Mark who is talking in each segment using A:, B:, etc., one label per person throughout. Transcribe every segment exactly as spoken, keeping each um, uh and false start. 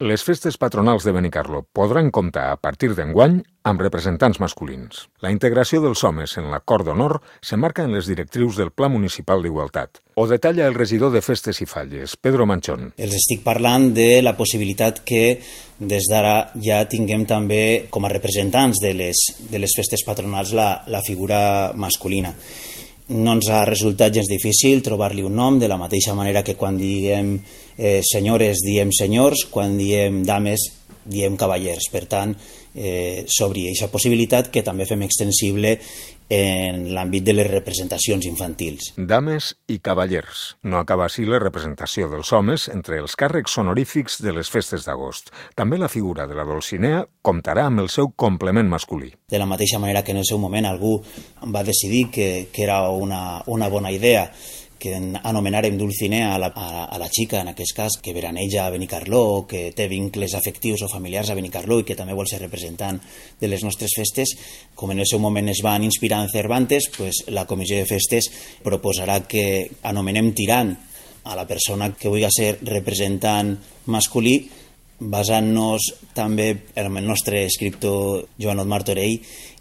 A: Les festes patronals de Benicarló podran comptar a partir d'enguany amb representants masculins. La integració dels homes en l'acord d'honor s'emmarca en les directrius del Pla Municipal d'Igualtat. Ho detalla el regidor de Festes i Falles, Pedro Manchón.
B: Els estic parlant de la possibilitat que des d'ara ja tinguem també com a representants de les, de les festes patronals la, la figura masculina. No ens ha resultat gens difícil trobar-li un nom, de la mateixa manera que quan diem eh, senyores diem senyors, quan diem dames diem cavallers. Per tant, eh, s'obri aquesta possibilitat que també fem extensible en l'àmbit de les representacions infantils.
A: Dames i cavallers. No acaba així la representació dels homes entre els càrrecs honorífics de les festes d'agost. També la figura de la Dolcinea comptarà amb el seu complement masculí.
B: De la mateixa manera que en el seu moment algú va decidir que, que era una, una bona idea que anomenàrem Dulcinea a la, a, a la xica, en aquest cas, que veraneja a Benicarló, que té vincles afectius o familiars a Benicarló i que també vol ser representant de les nostres festes, com en el seu moment es van inspirar en Cervantes, pues la Comissió de Festes proposarà que anomenem tirant a la persona que vulgui ser representant masculí, basant-nos també en el nostre escriptor Joanot Martorell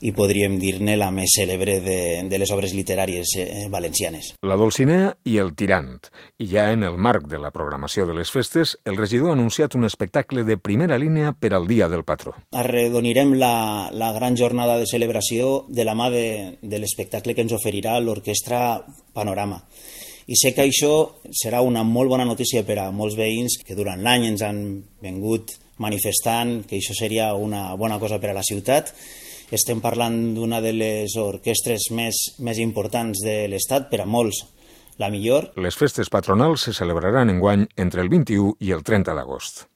B: i podríem dir-ne la més cèlebre de, de les obres literàries eh, valencianes.
A: La Dolcinea i el tirant. I ja en el marc de la programació de les festes, el regidor ha anunciat un espectacle de primera línia per al Dia del Patró.
B: Arredonirem la, la gran jornada de celebració de la mà de, de l'espectacle que ens oferirà l'Orquestra Panorama. I sé que això serà una molt bona notícia per a molts veïns que durant l'any ens han vingut manifestant que això seria una bona cosa per a la ciutat. Estem parlant d'una de les orquestres més, més importants de l'Estat, per a molts la millor.
A: Les festes patronals se celebraran enguany entre el vint-i-u i el trenta d'agost.